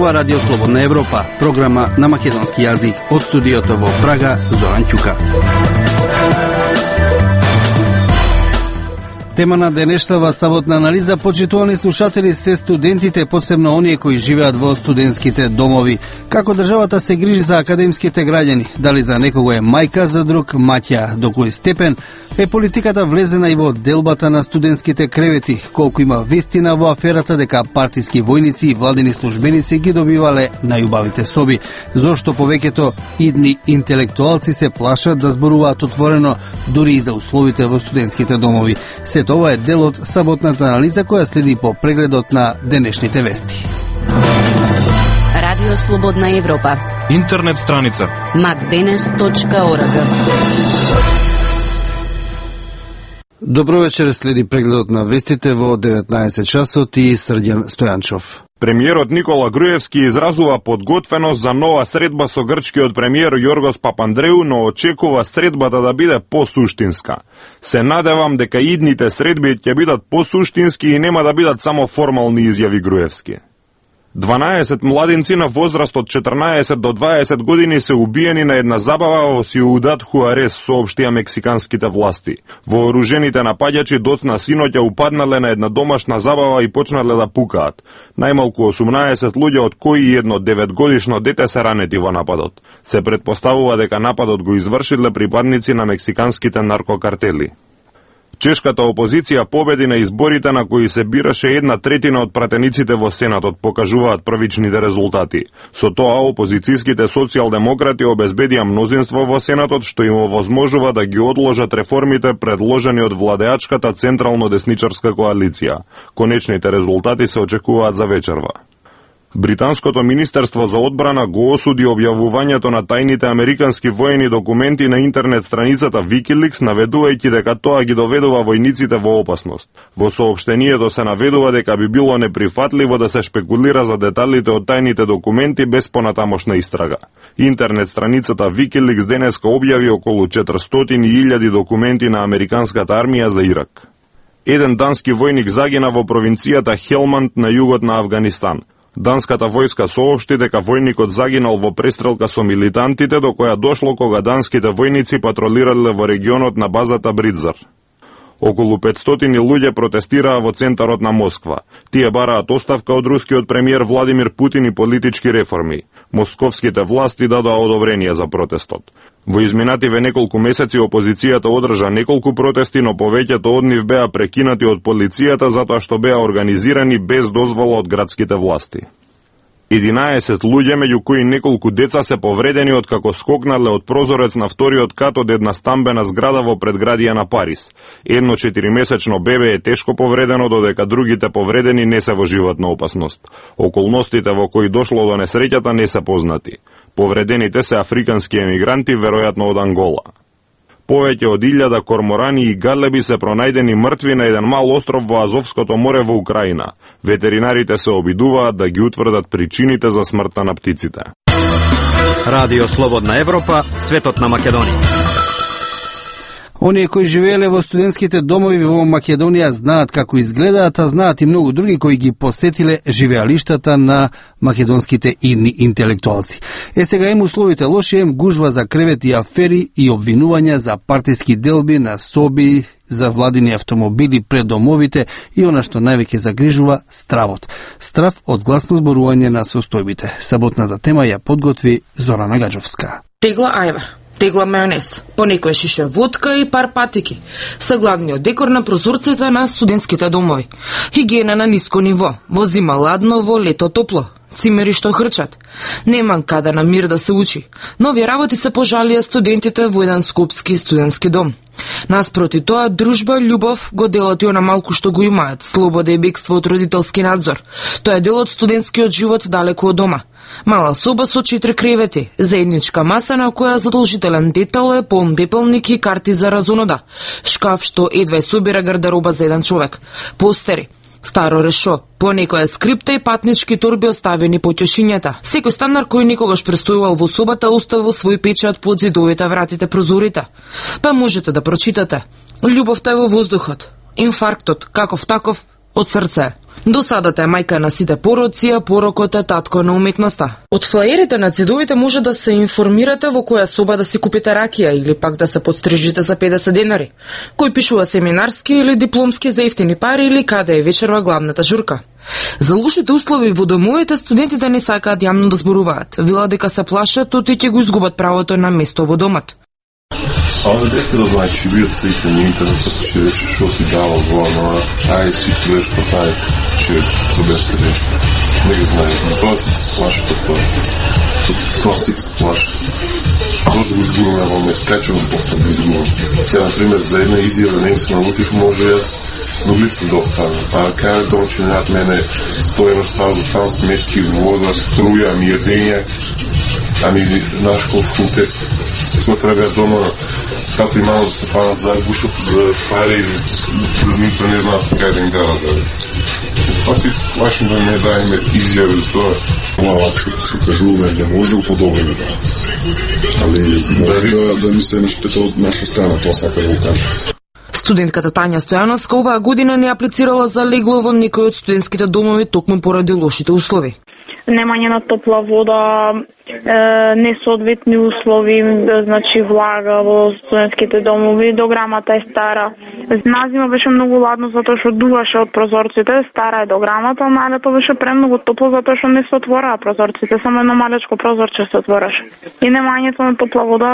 ова Радио Слободна Европа, програма на македонски јазик од студиото во Прага, Зоран Ќука. Тема на денешната саботна анализа, почитувани слушатели, се студентите, посебно оние кои живеат во студентските домови. Како државата се грижи за академските граѓани? Дали за некого е мајка, за друг маќа? До кој степен е политиката влезена и во делбата на студентските кревети? Колку има вистина во аферата дека партиски војници и владени службеници ги добивале најубавите соби? Зошто повеќето идни интелектуалци се плашат да зборуваат отворено дури и за условите во студентските домови? Ова е дел од саботната анализа која следи по прегледот на денешните вести. Радио Слободна Европа. Интернет страница macdenes.org. Добро вечер, следи прегледот на вестите во 19 часот и Срđan Стојанчов. Премиерот Никола Груевски изразува подготвеност за нова средба со грчкиот премиер Јоргос Папандреу, но очекува средбата да биде посуштинска. Се надевам дека идните средби ќе бидат посуштински и нема да бидат само формални, изјави Груевски. 12 младинци на возраст од 14 до 20 години се убиени на една забава во Сиудад Хуарес, соопштија мексиканските власти. Вооружените напаѓачи доцна синоќа упаднале на една домашна забава и почнале да пукаат. Најмалку 18 луѓе, од кои едно 9-годишно дете се ранети во нападот. Се претпоставува дека нападот го извршиле припадници на мексиканските наркокартели. Чешката опозиција победи на изборите на кои се бираше 1/3 од пратениците во Сенатот, покажуваат првичните резултати. Со тоа опозицијските социјалдемократи обезбедија мнозинство во Сенатот, што им овозможува да ги одложат реформите предложени од владеачката централно-десничарска коалиција. Конечните резултати се очекуваат за вечерва. Британското министерство за одбрана го осуди објавувањето на тајните американски воени документи на интернет страницата Wikileaks, наведувајќи дека тоа ги доведува војниците во опасност. Во соопштението се наведува дека би било неприфатливо да се шпекулира за деталите од тајните документи без понатамошна истрага. Интернет страницата Wikileaks денеска објави околу 400.000 документи на американската армија за Ирак. Еден дански војник загина во провинцијата Хелманд на југот на Авганистан. Данската војска соопшти дека војникот загинал во престрелка со милитантите, до која дошло кога данските војници патролирале во регионот на базата Бридзар. Околу 500 луѓе протестираа во центарот на Москва. Тие бараат оставка од рускиот премиер Владимир Путин и политички реформи. Московските власти дадоа одобрение за протестот. Во изминативе неколку месеци опозицијата одржа неколку протести, но повеќето од нив беа прекинати од полицијата затоа што беа организирани без дозвола од градските власти. 11 луѓе, меѓу кои неколку деца, се повредени откако скокнале од прозорец на вториот кат од една стамбена зграда во предградија на Париз. Едно 4-месечно бебе е тешко повредено, додека другите повредени не се во животна опасност. Околностите во кои дошло до несреќата не се познати. Повредените се африкански емигранти, веројатно од Ангола. Повеќе од 1000 корморани и галеби се пронајдени мртви на еден мал остров во Азовското море во Украина. Ветеринарите се обидуваат да ги утврдат причините за смртта на птиците. Радио Слободна Европа, светот на Македонија. Оние кои живееле во студентските домови во Македонија знаат како изгледаат, а знаат и многу други кои ги посетиле живеалиштата на македонските идни интелектуалци. Сега им условите лоши, им гужва за кревет и афери и обвинувања за партиски делби на соби, за владини автомобили пред домовите и она што највеќе загрижува, стравот. Страв од гласно зборување на состојбите. Саботната тема ја подготви Зорана Гаджовска. Тегла ајвар, тегла мајонез, понекој шише водка и пар патики. Са главниот декор на прозорците на студентските домови. Хигиена на ниско ниво, во зима ладно, во лето топло. Цимери што хрчат. Нема каде на мир да се учи. Нови работи се пожалија студентите во еден скопски студентски дом. Наспроти тоа, дружба, љубов го делат и она малку што го имаат, слобода и бегство од родителски надзор. Тоа е дел од студентскиот живот далеку од дома. Мала соба со 4 кревети, заедничка маса на која задолжителен детал е полн пепелник и карти за разонода, шкаф што едва собира гардероба за еден човек, постери, старо решо, понекоја скрипта и патнички торби оставени по ќошињата. Секој станар кој никогаш престојувал во собата оставил свој печат под зидовите, вратите, прозорите. Па можете да прочитате. Љубовта е во воздухот. Инфарктот, каков таков, од срце. До садата е мајка на сите пороци, а порокот е татко на уметноста. Од флаерите на цедовите може да се информирате во која соба да си купите ракија или пак да се подстрижите за 50 денари. Кој пишува семинарски или дипломски за ефтини пари или каде е вечерва главната журка. За лошите услови во домовите студентите не сакаат јавно да зборуваат. Велат дека се плашат од ќе го изгубат правото на место во домот. Овде дека да знаеш, че бијат слика на интернетот, че рече шо си дава во, но ај си стоеш по тај, че студентска нешто. Не ги знае, тоа си се плашат од тоа. Тоа си се плашат. Може да го изгубаме во место, кај го после да изгубам. Сега, например, за една изјава не се налутиш, може јас до лица да оставам. А кај да очинат мене, стојам сам, заставам сметки, вода, струја, једење, ами наш факултет. Тоа треба дома тато и мама да се фанат за гушот, за пари, да не знаат кај да им дадат. Тоа си плашно да не дајме изјави за тоа. Ова што кажуваме не може да подобриме. Али да ми се нешто од наша страна, тоа сака да го кажа. Студентката Тања Стојановска оваа година не аплицирала за легло во некој од студентските домови токму поради лошите услови. Немање на топла вода, несоодветни услови, значи влага во студентските домови, дограмата е стара. Назима беше многу ладно затоа што дуваше од прозорците, стара е дограмата, но лето беше премногу топло затоа што не се отвораа прозорците, само едно малечко прозорче се отвораше. И немањето на топла вода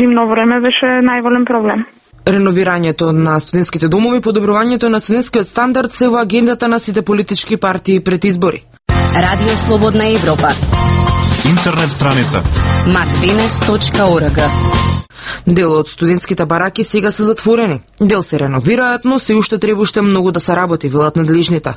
зимно време беше најголем проблем. Реновирањето на студентските домови, подобрувањето на студентскиот стандард се во агендата на сите политички партии пред избори. Радио Слободна Европа. Интернет страница macdenes.org. Дел од студентските бараки сега се затворени. Дел се реновираат, но се уште требаше многу да се работи, велат надлежните.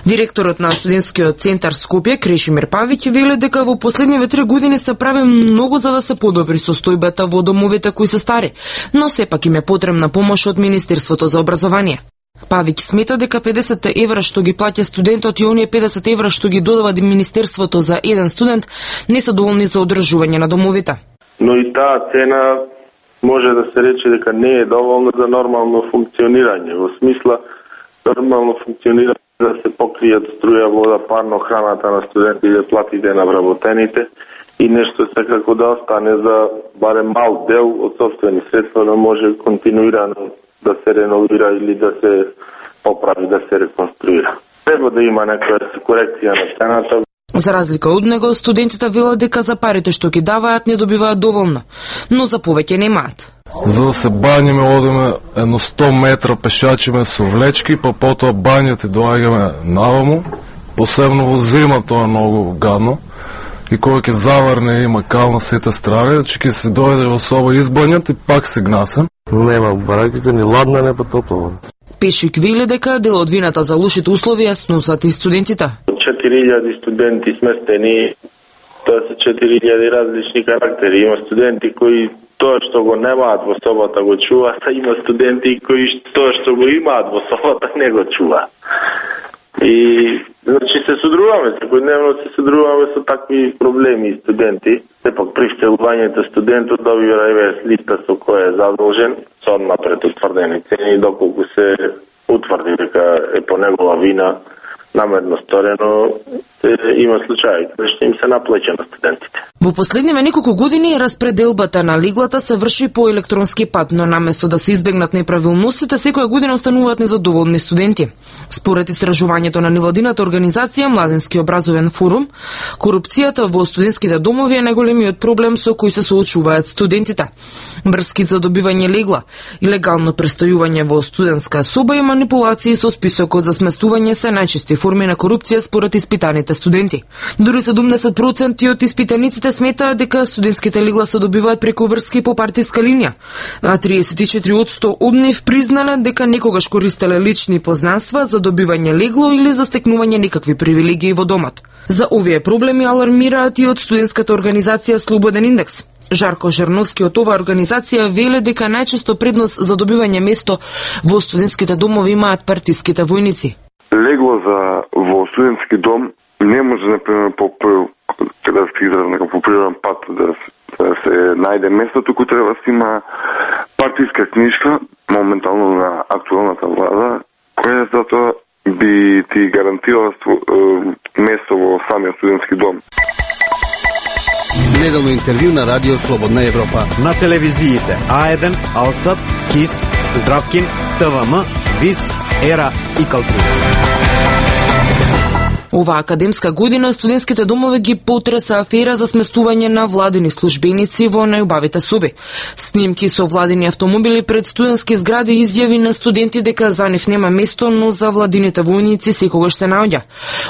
Директорот на студентскиот центар Скопје, Крешимир Павиќ, вели дека во последниве 3 години се прави многу за да се подобри состојбата во домовите кои се стари, но сепак им е потребна помош од Министерството за образование. Павиќ смета дека 50 евра што ги плаќа студентот и оние 50 евра што ги додава Министерството за еден студент не се доволни за одржување на домовите. Но и таа цена може да се рече дека не е доволна за нормално функционирање. Во смисла, нормално функционирање да се покријат струја, вода, парно, храната на студентите, платите на вработените и нешто секако да остане за барем мал дел од собствени средства да може континуирано да се реновира или да се поправи, да се реконструира. Треба да има некоја корекција на цената. За разлика од него, студентите велат дека за парите што ги даваат не добиваат доволно, но за повеќе немаат. За да се бањиме, одиме едно 100 метра пешачиме со влечки, па потоа бањата доаѓаме наваму. Посебно во зима тоа е многу гадно. И кога ќе заврне има кал на сите страни, че ќе се дојде во соба избањат и пак се гнасен. Нема бараките ни ладна, не па топла. Пешик вели дека дел од вината за лошите услови ја сносат и студентите. 4000 студенти сместени, тоа се 4000 различни карактери. Има студенти кои тоа што го немаат во собата го чуваат, а има студенти кои тоа што го имаат во собата не го чуваат. И значи се содруваме, секојдневно се содруваме со такви проблеми и студенти. Сепак при вселувањето студентот добива листа со која е задолжен, со однапред утврдени цени, доколку се утврди дека е по негова вина намерно сторено, има случаи што им се наплеќа на студентите. Во последниве неколку години распределбата на леглата се врши по електронски пат, но наместо да се избегнат неправилностите, секоја година остануваат незадоволни студенти. Според истражувањето на невладината организација Младински образовен форум, корупцијата во студентските домови е најголемиот проблем со кој се соочуваат студентите. Врски за добивање легла, илегално престојување во студентска соба и манипулации со списокот за сместување се најчести форми на корупција според испитаните студенти. Дури 70% од испитаниците сметаат дека студентските легла се добиваат преку врски по партиска линија, а 34% од нив признале дека некогаш користеле лични познанства за добивање легло или за стекнување некакви привилегии во домот. За овие проблеми алармираат и од студентската организација Слободен индекс. Жарко Жерновски од оваа организација веле дека најчесто предност за добивање место во студентските домови имаат партиските војници. Легло во студентски дом не може, например, кога се изразна по природен пат да се најде место, туку треба да се има партиска книжка, моментално на актуелната влада, која затоа би ти гарантирала место во самиот студентски дом. Неделно интервју на Радио Слободна Европа. На телевизиите А1, Алсат, КИС, Здравкин, ТВМ, ВИС, ЕРА и Калтри. Оваа академска година студентските домови ги потреса афера за сместување на владини службеници во најубавите соби. Снимки со владини автомобили пред студентски згради, изјави на студенти дека за нив нема место, но за владините војници секогаш се наоѓа.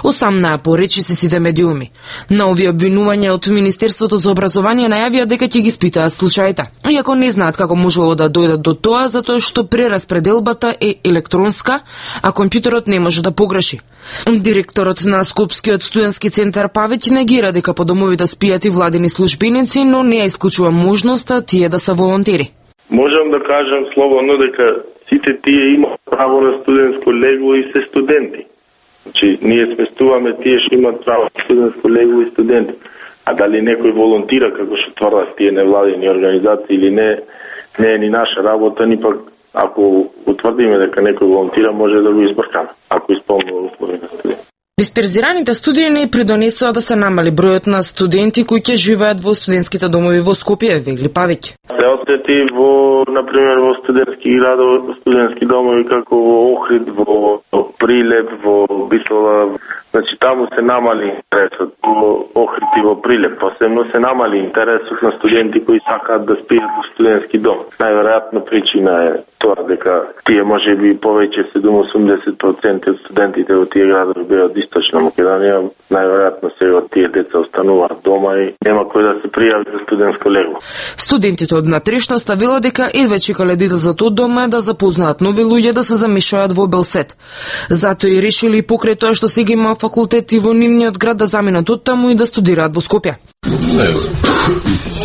Осамнаа поречиси сите медиуми. На овие обвинувања од Министерството за образование најавија дека ќе ги испитаат случаите. Иако не знаат како можело да дојдат до тоа, затоа што прераспределбата е електронска, а компјутерот не може да погреши. Директорот на Скопскиот студентски центар Павеќ негира дека по домовите спијат и владини службеници, но не ја исклучува можноста тие да се волонтери. Можам да кажам слободно дека сите тие имаат право на студентско легло и се студенти. Значи, ние сместуваме тие што имаат право на студентско легло и студенти. А дали некој волонтира, како што тврдат тие невладини организации или не, не е ни наша работа, ни пак ако утврдиме дека некој волонтира, може да го избркаме, ако исполнува услови на студент. Дисперзираните студии не придонесоа да се намали бројот на студенти кои ќе живеат во студентските домови во Скопје, вели Павеќ. Се осети во, например, во студентски градови, студентски домови како во Охрид, во Прилеп, во Битола. Значи таму се намали интересот во Охрид и во Прилеп. Посебно се намали интересот на студенти кои сакаат да спијат во студентски дом. Најверојатно причина е тоа дека тие можеби повеќе 70% од студентите во тие градови беа од Источна Македонија. Најверојатно сега тие деца остануваат дома и нема кој да се пријави за студентско легло. Студентите од натрешноста велат дека едве чекале да излезат од дома да запознаат нови луѓе, да се замешаат во Белсет. Затоа и решили покрај тоа што сега има факултети во нивниот град да заминат од таму и да студираат во Скопје. Не,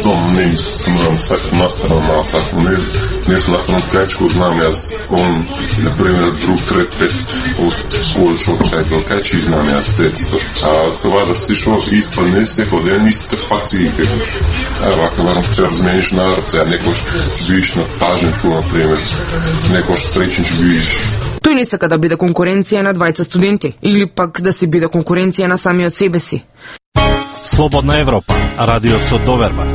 дом не сумрам сакам настрана, сакам не сум настрана кајчко, знам јас, он, например, друг трет пет од повеќе од кај кајчи знам јас детство. А кога да си шо испадне секој ден истите факции, вака народ ќе размениш народ, сега некош ќе бидиш на тажнето, например, некош стречен ќе бидиш. Тој не сака да биде конкуренција на двајца студенти, или пак да си биде конкуренција на самиот себе си. Слободна Европа, радио со доверба.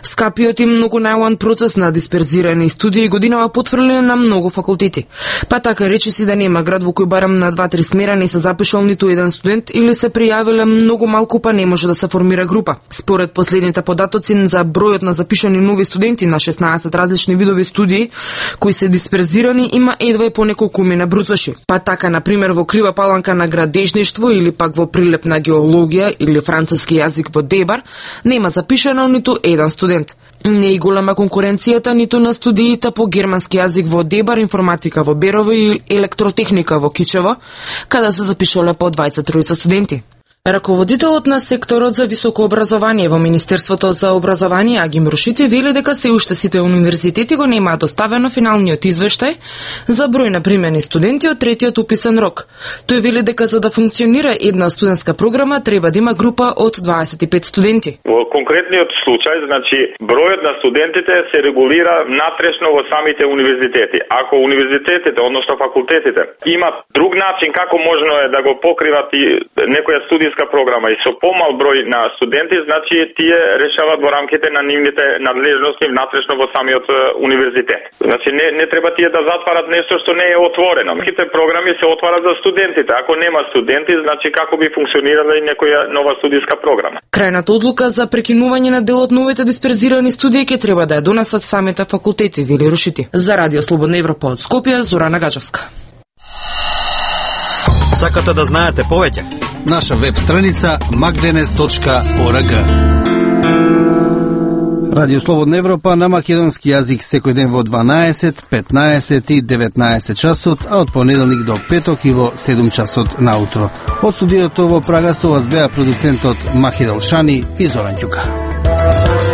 Скапиот и многу најлан процес на дисперзирани студии годинава потврден на многу факултети. Па така речиси да нема град во кој барам на 2-3 смера не се запишал ниту еден студент или се пријавиле многу малку па не може да се формира група. Според последните податоци за бројот на запишани нови студенти на 16 различни видови студии кои се дисперзирани има едва по неколкумина бруцаши. Па така например во Крива Паланка на градежништво или пак во Прилеп на геологија или француски јазик во Дебар нема запишано ниту еден студент. Не е голема конкуренцијата ниту на студиите по германски јазик во Дебар, информатика во Берово и електротехника во Кичево, каде се запишале по 23 студенти. Раководителот на секторот за високо образование во Министерството за образование Аги Мрушити вели дека се уште сите универзитети го немаат доставено финалниот извештај за број на примени студенти од третиот уписен рок. Тој вели дека за да функционира една студентска програма треба да има група од 25 студенти. Во конкретниот случај, значи бројот на студентите се регулира натрешно во самите универзитети. Ако универзитетите, односно факултетите, имат друг начин како можно е да го покриват и некоја студија програма и со помал број на студенти, значи тие решават во рамките на нивните надлежности внатрешно во самиот универзитет. Значи не треба тие да затварат нешто што не е отворено. Сите програми се отварат за студентите. Ако нема студенти, значи како би функционирала и некоја нова студиска програма. Крајната одлука за прекинување на дел од новите дисперзирани студии ќе треба да ја донесат самите факултети, вели Рушити. За Радио Слободна Европа од Скопје, Зорана Гаджевска. Сакате да знаете повеќе? Наша веб страница magdenes.org. Радио Слободна Европа на македонски јазик секој ден во 12, 15 и 19 часот, а од понеделник до петок и во 7 часот наутро. Од студиото во Прага со вас беа продуцентот Махидел Шани и Зоран Ќука.